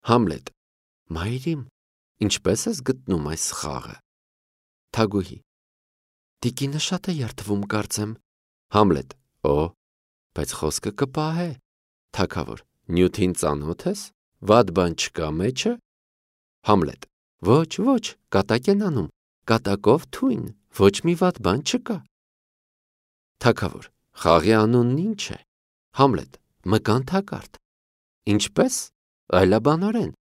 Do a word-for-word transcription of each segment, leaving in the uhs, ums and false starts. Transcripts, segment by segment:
Համլետ. Մայրիմ, ինչպես ես գտնում այս խաղը։ Թագուհի. Տիկինը շատ է երդվում կարծեմ։ Համլետ. Օ, բայց խոսքը կպահե։ Թագավոր. Նյութին ծանոթ ես, վատ բան չկա մեջը։ Համլետ. Ոչ, ոչ, կատակ են անում, կատակով թույն, ոչ մի վատ բան չկա։ Թագավոր. Խաղի անունն ինչ է։ Համլետ. Մկան թակարդ։ Ինչպես։ Այլաբանորեն։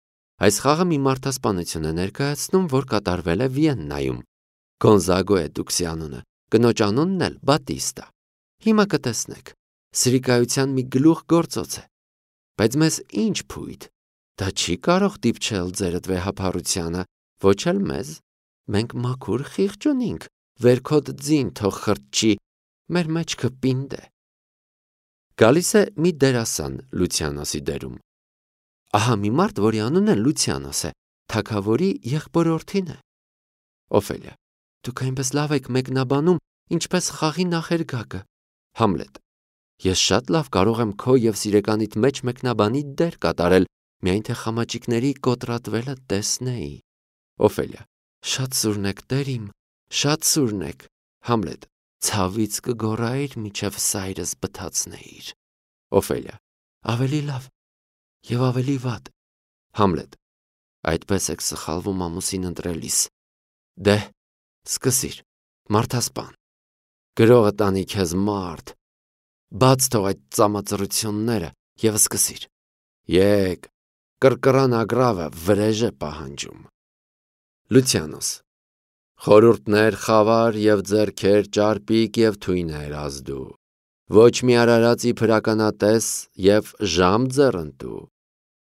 Այս խաղը մի մարդասպանություն է ներկայացնում, որ կատարվել է Վիեննայում։ Գոնզագո է դուքսի անունը, կնոջ անունն էլ Բատիստա։ Հիմա կտեսնեք, սրիկայության մի գլուխ գործոց է։ Բայց մեզ ինչ փույթ, դա չի կարող դիպչել ձերդ վեհափառությանը, ոչ էլ մեզ, մենք մաքուր խիղճ ունինք, վերքոտ ձին թող խրճի, մեր մեջքը պինդ է։ Գալիս է մի դերասան Լուցիանոսի դերում։ Ահա մի մարդ, որի անունը Լուցիանոս է, թագավորի եղբորորդին է։ Օֆելիա. Դուք այնպես լավ եք մեկնաբանում, ինչպես խաղի նախերգակը։ Համլետ. Ես շատ լավ կարող եմ քո և սիրեկանիդ մեջ մեկնաբանի դեր կատարել, միայն թե խամաճիկների կոտրատվելը տեսնեի։ Օֆելիա. Շատ սուրն եք, տերիմ, շատ սուրն եք։ Համլետ. Ցավից կգոռայիր, միջև սայրս բթացնեիր։ Օֆելիա. Ավելի լավ և ավելի վատ։ Համլետ. Այդպես եք սխալվում ամուսին ընտրելիս։ Դե, սկսիր, մարդասպան։ Գրողը տանի քեզ մարդ։ Բաց թող այդ ծամածռությունները և սկսիր։ Եկ, կրկռան ագրավը վրեժ է պահանջում։ Լուցիանոս. Խորհուրդներ խավար և ձեռքեր ճարպիկ և թույներ ազդու, ոչ մի արարածի փրականատես և ժամ ձեռնտու,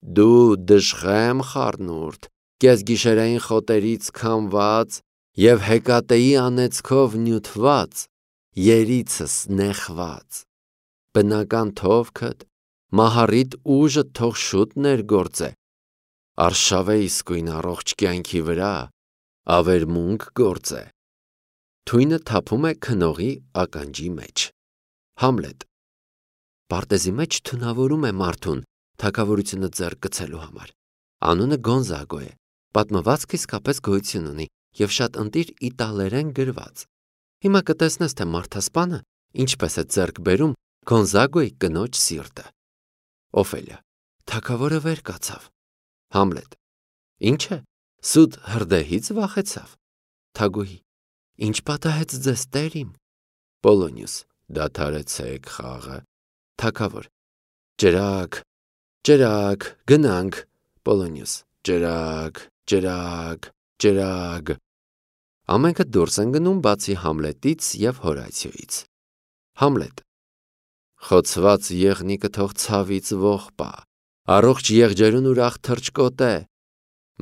դու դժխեմ խառնուրդ, կեսգիշերային խոտերից քամված և հեկատեի անեծքով նյութված, երիցս նեխված, բնական թովքդ, մահառիդ ուժը թող շուտ ներգործե, արշավե իսկույն առողջ կյանքի վրա, ավերմունք գործե։ Թույնը թափում է քնողի ականջի մեջ։ Համլետ. Պարտեզի մեջ թունավորում է մարդուն, թագավորությունը ձեռք գցելու համար։ Անունը Գոնզագո է, պատմվածքը իսկապես գոյություն ունի և շատ ընտիր իտալերեն գրված։ Հիմա կտեսնես, թե մարդասպանը ինչպես է ձեռք բերում Գոնզագոյի կնոջ սիրտը։ Օֆելիա. Թագավորը վեր կացավ։ Համլետ. Ինչ է, սուտ հրդեհից վախեցավ։ Թագուհի. Ինչ պատահեց ձեզ, տերիմ։ Պոլոնիուս. Դադարեցեք խաղը։ Թագավոր. Ջրակ, ջրակ, գնանք։ Պոլոնիուս. Ջրակ, ջրակ, ջրակ։ Ամենքը դուրս են գնում բացի Համլետից և Հորացիոյից։ Համլետ. Խոցված եղնիկը թող ցավից ողբա, առողջ եղջերուն ուրախ թռչկոտե,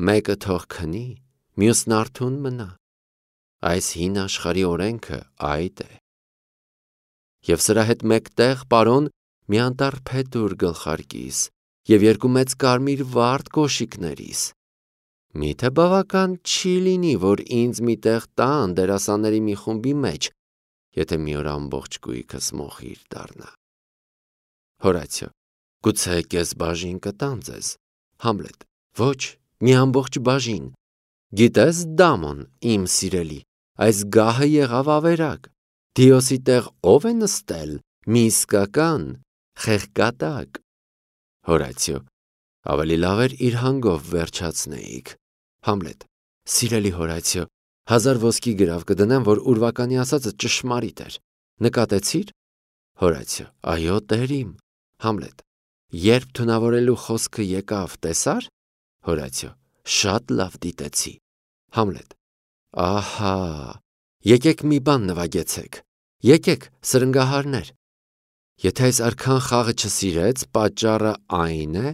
մեկը թող քնի, մյուսն արթուն մնա, այս հին աշխարհի օրենքը այդ է։ Եվ սրա հետ մեկտեղ, պարոն, մի անտառ փետուր գլխարկիս և երկու մեծ կարմիր վարդ կոշիկներիս։ Միթե բավական չի լինի, որ ինձ մի տեղ տան դերասանների մի խումբի մեջ, եթե մի օր ամբողջ կույքս մոխիր դառնա։ Հորացիո. Գուցե կես բաժին կտան ձեզ։ Համլետ. Ոչ, մի ամբողջ բաժին։ Գիտես, Դամոն, իմ սիրելի, այս գահը եղավ ավերակ։ Դիոսի տեղ ով է նստել, մի իսկական խեղկատակ։ Հորացիո. Ավելի լավ էր իր հանգով վերջացնեիք։ Համլետ. Սիրելի Հորացիո, հազար ոսկի գրավ կդնեմ, որ ուրվականի ասածը ճշմարիտ էր։ Նկատեցի՞ր։ Հորացիո. Այո, տերիմ։ Համլետ. Երբ թունավորելու խոսքը եկավ, տեսա՞ր։ Հորացիո. Շատ լավ դիտեցի։ Համլետ. Ահա, եկեք մի բան նվագեցեք, եկեք սրնգահարներ։ Եթե այս արքան խաղը չսիրեց, պատճառը այն է,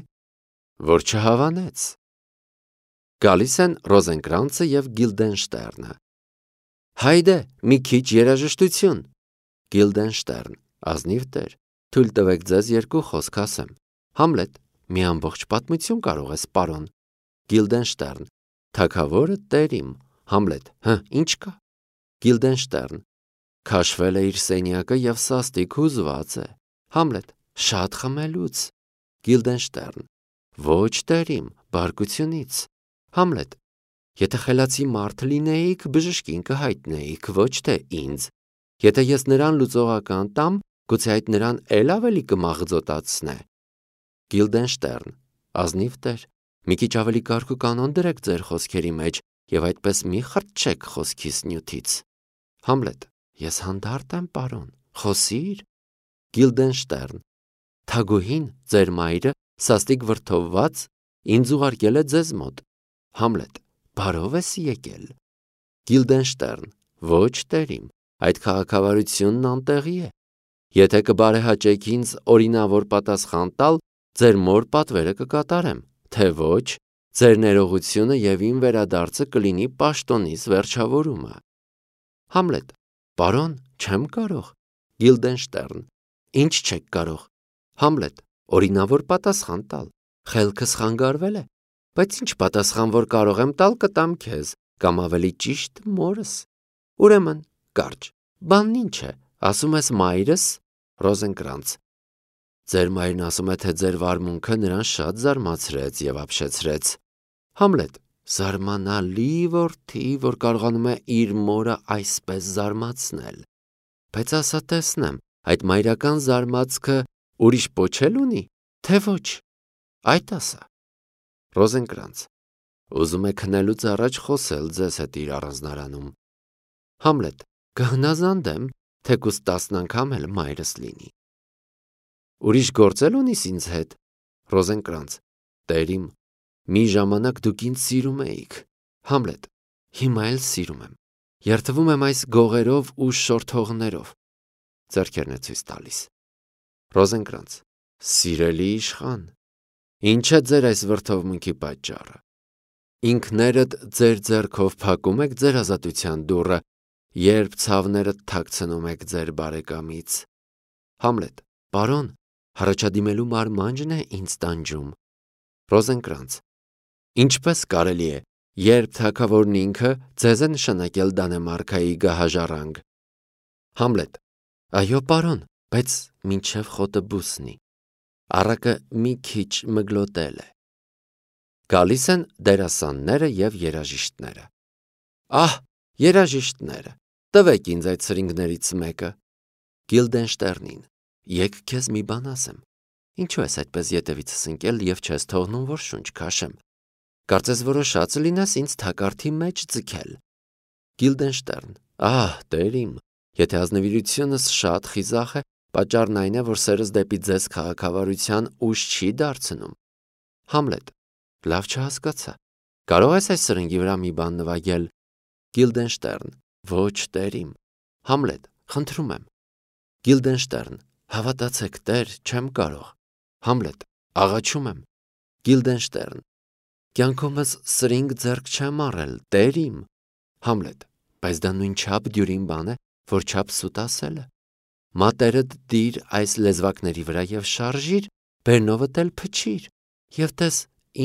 որ չհավանեց։ Գալիս են Ռոզենկրանցը և Գիլդենշտերնը։ Հայդե, մի քիչ երաժշտություն։ Գիլդենշտերն. Ազնիվ տեր, թույլ տվեք ձեզ երկու խոսք ասեմ։ Համլետ. Մի ամբողջ պատմություն կարող ես, պարոն։ Գիլդենշտերն. Թագավորը տերիմ։ Համլետ. Հը, ինչ կա։ Գիլդենշտերն. Քաշվել է իր սենյակը և սաստիկ հուզված է։ Համլետ. Շատ խմելուց։ Գիլդենշտերն. Ոչ տերիմ, բարկությունից։ Համլետ. Եթե խելացի մարդ լինեիք, բժշկին կհայտնեիք, ոչ թե ինձ։ Եթե ես նրան լուծողական տամ, գուցե այդ նրան էլ ավելի կմաղձոտացնե։ Գիլդենշտերն. ազնիվ տեր, մի քիչ ավելի կարգ ու կանոն դրեք ձեր խոսքերի մեջ եւ այդպես մի խրճեք խոսքիս նյութից։ Համլետ. Ես հանդարտ եմ, պարոն, խոսիր։ Գիլդենշտերն. Թագուհին, ձեր մայրը, սաստիկ վրդովված, ինձ ուղարկել է ձեզ մոտ։ Համլետ. Բարով ես եկել։ Գիլդենշտերն. Ոչ տերիմ, այդ քաղաքավարությունն անտեղի է։ Եթե կբարեհաճեք ինձ օրինավոր պատասխան տալ, ձեր մոր պատվերը կկատարեմ, թե ոչ, ձեր ներողությունը եւ իմ վերադարձը կլինի պաշտոնիս վերջավորումը։ Համլետ. Պարոն, չեմ կարող։ Գիլդենշտերն. Ինչ չեք կարող։ Համլետ. Օրինավոր պատասխան տալ։ Խելքս խանգարվել է, բայց ինչ պատասխան որ կարող եմ տալ, կտամ քեզ, կամ ավելի ճիշտ մորս։ Ուրեմն, կարճ, բանն ինչ է, ասում ես մայրս։ Ռոզենկրանց. Ձեր մայրն ասում է, թե ձեր վարմունքը նրան շատ զարմացրեց եւ ապշեցրեց։ Համլետ. Զարմանալի որդի, որ կարողանում է իր մորը այսպես զարմացնել։ Բայց ասա տեսնեմ, այդ մայրական զարմացքը ուրիշ պոչել ունի, թե ոչ։ Այդ ասա։ Ռոզենկրանց. Ուզում եք քնելուց առաջ խոսել ձեզ հետ իր առանձնարանում։ Համլետ. Կհնազանդեմ, թեկուզ տասն անգամ էլ մայրս լինի։ Ուրիշ գործել ունիս ինձ հետ։ Ռոզենկրանց. Տերիմ, մի ժամանակ դուք ինձ սիրում էիք։ Համլետ. Հիմա էլ սիրում եմ։ Երդվում եմ այս գողերով ու շորթողներով։ Ձեռքերն է ցույց տալիս։ Ռոզենկրանց. Սիրելի իշխան, ինչ է ձեր այս վրդովմունքի պատճառը։ Ինքներդ ձեր ձեռքով փակում եք ձեր ազատության դուռը, երբ ցավներդ թաքցնում եք ձեր բարեկամից։ Համլետ. Պարոն, հառաջադիմելու մարմանջն է ինձ տանջում։ Ռոզենկրանց. Ինչպես կարելի է, երբ թագավորն ինքը ձեզ է նշանակել Դանեմարկայի գահաժառանգ։ Համլետ. Այո, պարոն, բայց մինչև խոտը բուսնի։ Առակը մի քիչ մգլոտել է։ Գալիս են դերասանները եւ երաժիշտները։ Ահ, երաժիշտները, տվեք ինձ այդ սրինգներից մեկը։ Գիլդենշտերնին. Եկ քեզ մի բան ասեմ։ Ինչու ես այդպես ետևիցս ընկել եւ չես թողնում, որ շունչ քաշեմ։ Կարծես որոշած լինես ինձ թակարդի մեջ ձգել։ Գիլդենշտերն. Ահ, տերիմ, եթե ազնվիրությունս շատ խիզախ է, պատճառն այն է, որ սերս դեպի ձեզ քաղաքավարության ուժ չի դարձնում։ Համլետ. Լավ չհասկացա։ Կարող ես այս սրնգի վրա մի բան նվագել։ Գիլդենշտերն. Ոչ տերիմ։ Համլետ. Խնդրում եմ։ Գիլդենշտերն. Հավատացեք, տեր, չեմ կարող։ Համլետ. Աղաչում եմ։ Գիլդենշտերն. Կյանքումս սրինգ ձեռք չեմ առել, տերիմ։ Համլետ. Բայց դա նույնչափ դյուրին բան է, որ չափ սուտ ասելը։ Մատերդ դիր այս լեզվակների վրա եւ շարժիր, բերնովդ էլ փչիր, եւ տես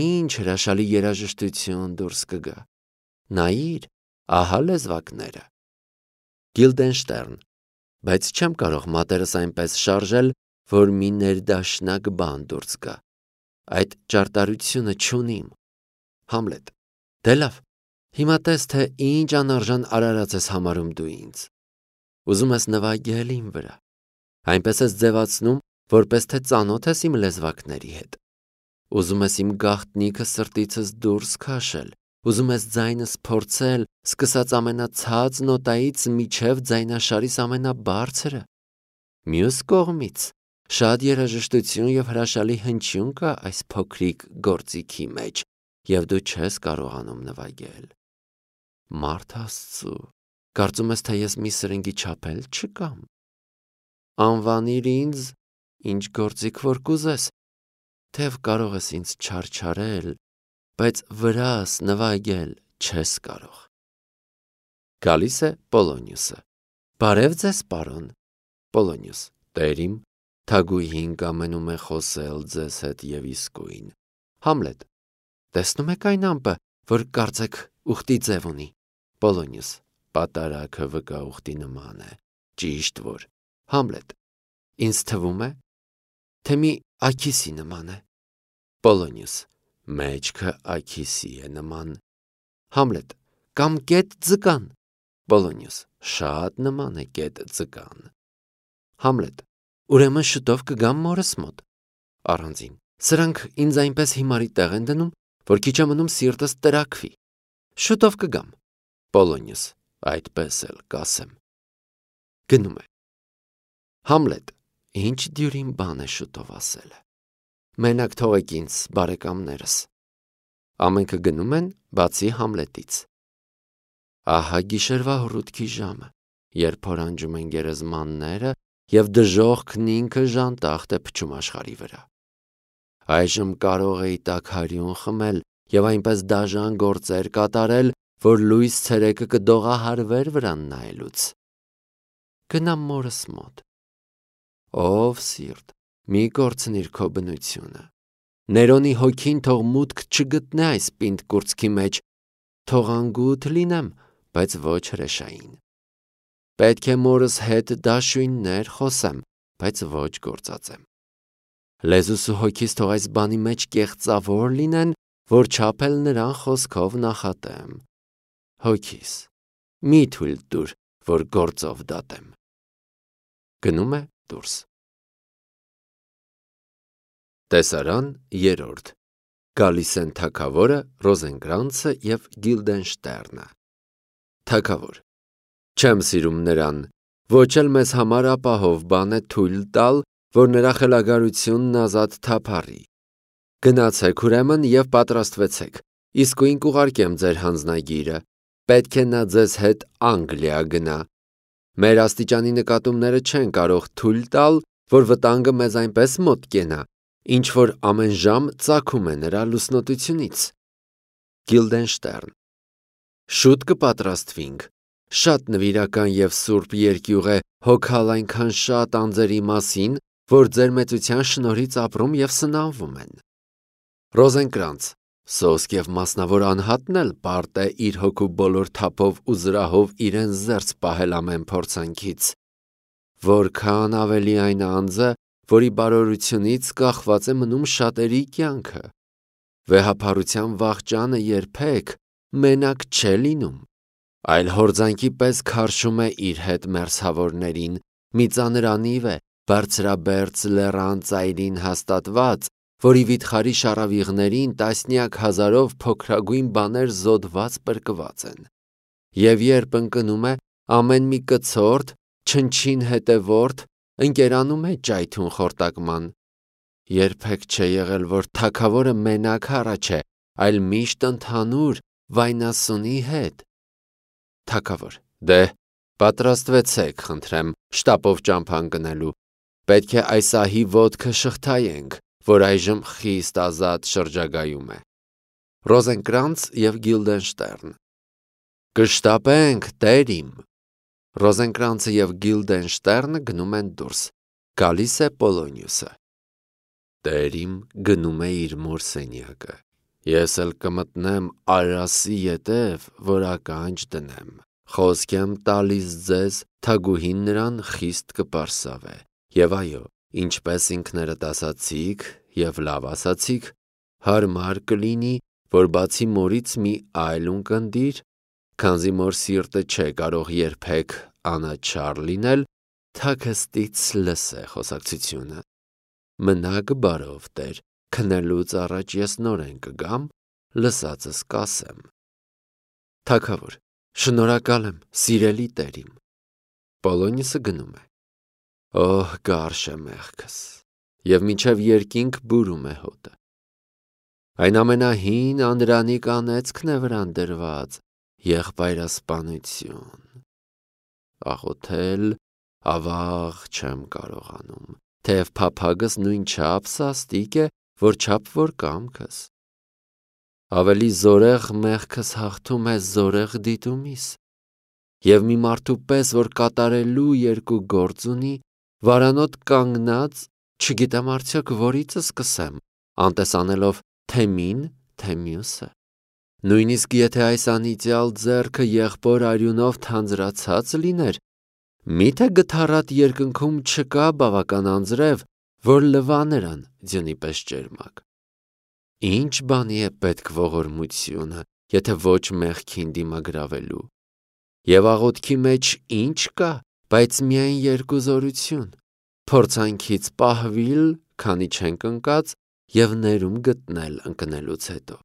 ինչ հրաշալի երաժշտություն դուրս կգա։ Նայիր, ահա լեզվակները։ Գիլդենշտերն. Բայց չեմ կարող մատերս այնպես շարժել, որ մի ներդաշնակ բան դուրս գա։ Այդ ճարտարությունը չունիմ։ Համլետ. Դե լավ, հիմա տես, թե ինչ անարժան արարած ես համարում դու ինձ։ Ուզում ես նվագել իմ վրա։ Այնպես ես ձևացնում, որպես թե ծանոթ ես իմ լեզվակների հետ։ Ուզում ես իմ գաղտնիքը սրտիցս դուրս քաշել։ Ուզում ես ձայնս փորձել, սկսած ամենացած նոտայից միջև ձայնաշարիս ամենաբարձրը։ Մյուս կողմից շատ երաժշտություն եւ հրաշալի հնչյուն կա այս փոքրիկ գործիքի մեջ, եւ դու չես կարողանում նվագել։ Մարդ Աստծո, կարծում ես, թե ես մի սրնգի չափել չկամ։ Անվանիր ինձ, ինչ գործիք որ կուզես, թեև կարող ես ինձ չարչարել, բայց վրաս նվագել չես կարող։ Գալիս է Պոլոնիուսը։ Բարև ձեզ, պարոն։ Պոլոնիուս. Տերիմ, թագուհին կամենում է խոսել ձեզ հետ եւ իսկույն։ Համլետ. Տեսնում եք այն ամպը, որ կարծեք ուխտի ձև ունի։ Պոլոնիուս. Պատարագը վկա ուխտի նման է։ Ճիշտ որ։ Համլետ. Ինձ թվում է, թե մի աքիսի նման է։ Պոլոնիուս. Մեջքը այքիսի է նման։ Համլետ. Կամ կետ ձկան։ Պոլոնիուս. Շատ նման է կետ ձկան։ Համլետ. Ուրեմն շուտով կգամ մորս մոտ։ Առանձին. Սրանք ինձ այնպես հիմարի տեղ են դնում, որ քիչ է մնում սիրտս տրաքվի։ Շուտով կգամ։ Պոլոնիուս. Այդպես էլ կասեմ։ Գնում է։ Համլետ. Ինչ դյուրին բան է շուտով ասելը։ Մենակ թողեք ինձ, բարեկամներս։ Ամենքը գնում են, բացի Համլետից։ Ահա գիշերվա հռութքի ժամը, երբ հորանջում են գերեզմանները և դժոխքն ինքը ժանտախտ է փչում աշխարհի վրա։ Այժմ կարող էի տաքարյուն խմել և այնպես դաժան գործեր կատարել, որ լույս ցերեկը կդողահարվեր վրան նայելուց։ Գնամ մորս մոտ։ Ով սիրտ, մի կորցնիր քո բնությունը։ Ներոնի հոգին թող մուտք չգտնե այս պինդ կուրծքի մեջ, թող անգութ լինեմ, բայց ոչ հրեշային։ Պետք է մորս հետ դաշույններ խոսեմ, բայց ոչ գործածեմ։ Լեզուս ու հոգիս թող այս բանի մեջ կեղծավոր լինեն, որ չափել նրան խոսքով նախատեմ։ Հոգիս, մի թույլ տուր, որ գործով դատեմ։ Գնում է դուրս։ Տեսարան երրորդ։ Գալիս են թագավորը, Ռոզենկրանցը և Գիլդենշտերնը։ Թագավոր. Չեմ սիրում նրան, ոչ էլ մեզ համար ապահով բան է թույլ տալ, որ նրա խելագարությունն ազատ թափառի։ Գնացեք ուրեմն և պատրաստվեցեք, իսկույն կուղարկեմ ձեր հանձնագիրը, պետք է նա ձեզ հետ Անգլիա գնա։ Մեր աստիճանի նկատումները չեն կարող թույլ տալ, որ վտանգը մեզ այնպես մոտ կենա, ինչ որ ամեն ժամ ծագում է նրա լուսնոտությունից։ Գիլդենշտերն. Շուտ կպատրաստվինք, շատ նվիրական և սուրբ երկյուղ է հոգալ այնքան շատ անձերի մասին, որ ձեր մեծության շնորհից ապրում և սնանվում են։ Ռոզենկրանց. Սոսկ և մասնավոր անհատն էլ պարտ է իր հոգու բոլոր թափով ու զրահով իրեն զերծ պահել ամեն փորձանքից։ Որքան ավելի այն անձը, որի բարօրությունից կախված է մնում շատերի կյանքը։ Վեհափառության վախճանը երբեք մենակ չէ լինում, այլ հորձանքի պես քարշում է իր հետ մերձավորներին, մի ծանր անիվ է, բարձրաբերձ լեռան ծայրին հաստատված, որի վիթխարի շառավիղներին տասնյակ հազարով փոքրագույն բաներ զոդված պրկված են։ Եվ երբ ընկնում է, ամեն մի կցորդ, չնչին հետևորդ, ընկերանում է ճայթուն խորտակման։ Երբեք չէ եղել, որ թագավորը մենակ առաջ է, այլ միշտ ընդհանուր վայնասունի հետ։ Թագավոր. Դե, պատրաստվեցեք, խնդրեմ, շտապով ճամփա ընկնելու։ Պետք է այս ահի ոտքը շղթայենք, որ այժմ խիստ ազատ շրջագայում է։ Ռոզենկրանց և Գիլդենշտերն. Կշտապենք, տեր իմ։ Ռոզենկրանցը և Գիլդենշտերնը գնում են դուրս։ Գալիս է Պոլոնիուսը։ Տեր իմ գնում է իր մոր սենյակը։ Ես էլ կմտնեմ Արասի ետև, որ ականջ դնեմ։ Խոսք եմ տալիս ձեզ, թագուհին նրան խիստ կպարսավե։ Եվ այո, ինչպես ինքներդ ասացիք և լավ ասացիք, հարմար կլինի, որ բացի մորից մի այլ ունկնդիր, քանզի մոր սիրտը չէ կարող երբեք անաչառ լինել, թաքստից լսե խոսակցությունը։ Մնաք բարով, տեր, քնելուց առաջ ես նորեն կգամ, լսածս կասեմ։ Թագավոր. Շնորհակալ եմ, սիրելի տեր իմ։ Պոլոնիուսը գնում է։ Օհ, գարշ է մեղքս, և մինչև երկինք բուրում է հոտը։ Այն ամենահին անդրանիկ անեծքն է վրան դրված, եղբայրասպանություն։ Աղոթել ավաղ չեմ կարողանում, թեև փափագս նույն չափ սաստիկ է, որ չափ որ կամքս։ Ավելի զորեղ մեղքս հաղթում է զորեղ դիտումիս, և մի մարդու պես, որ կատարելու երկու գործ ունի, վարանոտ կանգնած, չգիտեմ արդյոք որիցս սկսեմ, անտեսանելով թե մին, թե մյուսը։ Նույնիսկ եթե այս անիծյալ ձեռքը եղբոր արյունով թանձրացած լիներ, միթե գթառատ երկնքում չկա բավական անձրև, որ լվա նրան ձյունի պես ճերմակ։ Ինչ բանի է պետք ողորմությունը, եթե ոչ մեղքին դիմագրավելու։ Եվ աղոթքի մեջ ինչ կա, բայց միայն երկուզորություն, փորձանքից պահվիլ, քանի չենք ընկած, և ներում գտնել ընկնելուց հետո։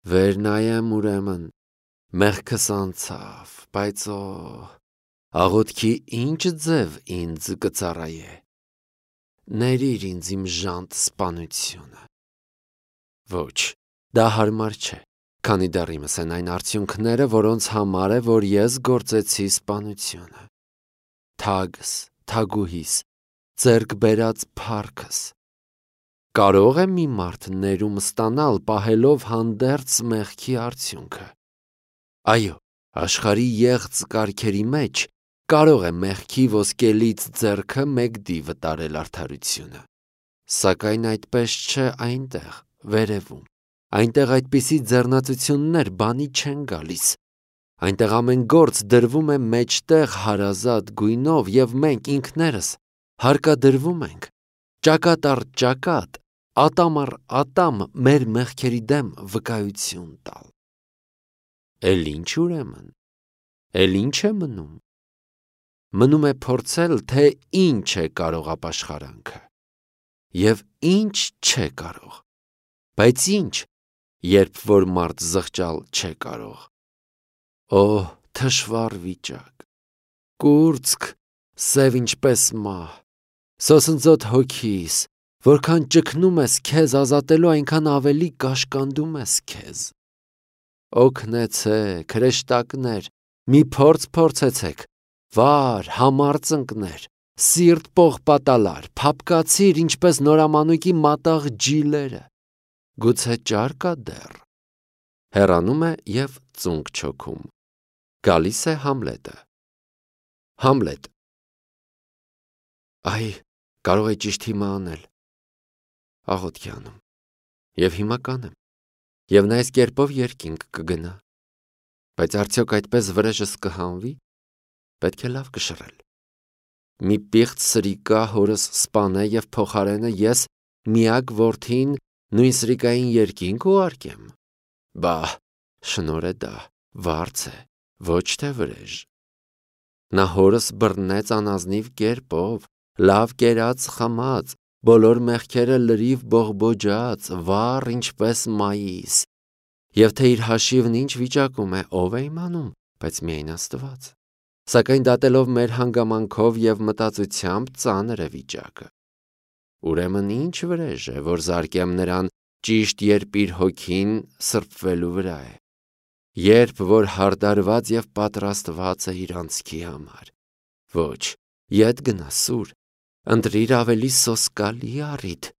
Վեր նայեմ ուրեմն, մեղքս անցավ, բայց օ, աղոթքի ինչ ձև ինձ կծառայե։ Ներիր ինձ իմ ժանտ սպանությունը։ Ոչ, դա հարմար չէ, քանի դեռ իմս են այն արդյունքները, որոնց համար է, որ ես գործեցի սպանությունը։ Թագս, թագուհիս, ձեռք բերած փառքս։ Կարո՞ղ է մի մարդ ներում ստանալ, պահելով հանդերձ մեղքի արդյունքը։ Այո, աշխարհի եղծ կարգերի մեջ կարող է մեղքի ոսկելից ձեռքը մեկ դի վտարել արդարությունը։ Սակայն այդպես չէ այնտեղ, վերևում։ Այնտեղ այդպիսի ձեռնածություններ բանի չեն գալիս։ Այնտեղ ամեն գործ դրվում է մեջտեղ հարազատ գույնով, և մենք ինքներս հարկադրվում ենք, ճակատ առ ճակատ, ատամ առ ատամ մեր մեղքերի դեմ վկայություն տալ։ Էլ ինչ ուրեմն, էլ ինչ է մնում։ Մնում է փորձել, թե ինչ է կարող ապաշխարանքը, և ինչ չէ կարող, բայց ինչ, երբ որ մարդ զղջալ չէ կարող։ Օ, թշվառ վիճակ, կուրծք, սև ինչպես մահ, սոսնձոտ հոգիս, որքան ճգնում ես քեզ ազատելու, այնքան ավելի կաշկանդում ես քեզ։ Օգնեցե՛ք, հրեշտակներ, մի փորձ փորձեցեք, վար, համարձնկներ, սիրտ պողպատալար, փափկացիր, ինչպես նորամանուկի մատաղ ջիլերը, գուցե ճար կա դեռ։ Հեռանում է և ծունկ չոքում։ Գալիս է Համլետը։ Համլետ. Այ, կարող է ճիշտ հիմա անել։ Աղոթքի անում։ Եվ հիմա կանեմ։ Եվ նա այս կերպով երկինք կգնա։ Բայց արդյոք այդպես վրեժս կհանվի։ Պետք է լավ կշռել։ Մի պիղծ սրիկա հորս սպանե և փոխարենը ես միակ որդին նույն սրիկային երկինք ուղարկեմ։ Բա՛հ, շնորհ է դա, վարձ է, ոչ թե վրեժ։ Նա հորս բռնեց անազնիվ կերպով, լավ կերած խմած, բոլոր մեղքերը լրիվ բողբոջած, վառ ինչպես մայիս։ Եվ թե իր հաշիվն ինչ վիճակում է, ով է իմանում, բայց միայն Աստված։ Սակայն դատելով մեր հանգամանքով և մտածությամբ ծանր է վիճակը։ Ուրեմն ինչ վրեժ է, որ զարկեմ նրան ճիշտ երբ իր հոգին սրբվելու վրա է, երբ որ հարդարված և պատրաստված է իր անցքի համար։ Ոչ, ետ գնա սուր, ընտրիր ավելի սոսկալի առիթ,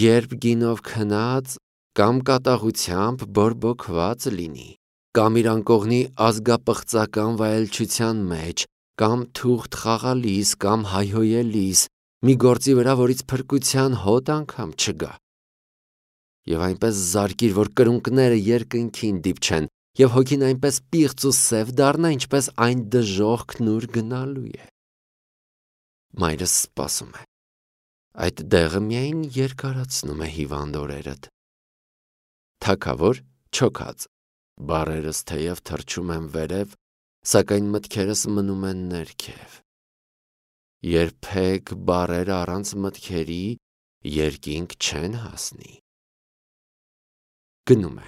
երբ գինով քնած կամ կատաղությամբ բորբոքված լինի, կամ իր անկողնի ազգապղծական վայելչության մեջ, կամ թուղթ խաղալիս, կամ հայհոյելիս, մի գործի վրա, որից փրկության հոտ անգամ չգա։ Եվ այնպես զարկիր, որ կրունկները երկնքին դիպչեն, և հոգին այնպես պիղծ ու սև դառնա, ինչպես այն դժոխքն ուր գնալու է։ Մայրս սպասում է։ Այդ դեղը միայն երկարացնում է հիվանդ օրերդ։ Թագավոր չոքած, բառերս թեև թռչում են վերև, սակայն մտքերս մնում են ներքև։ Երբեք բառերը առանց մտքերի երկինք չեն հասնի։ Գնում է։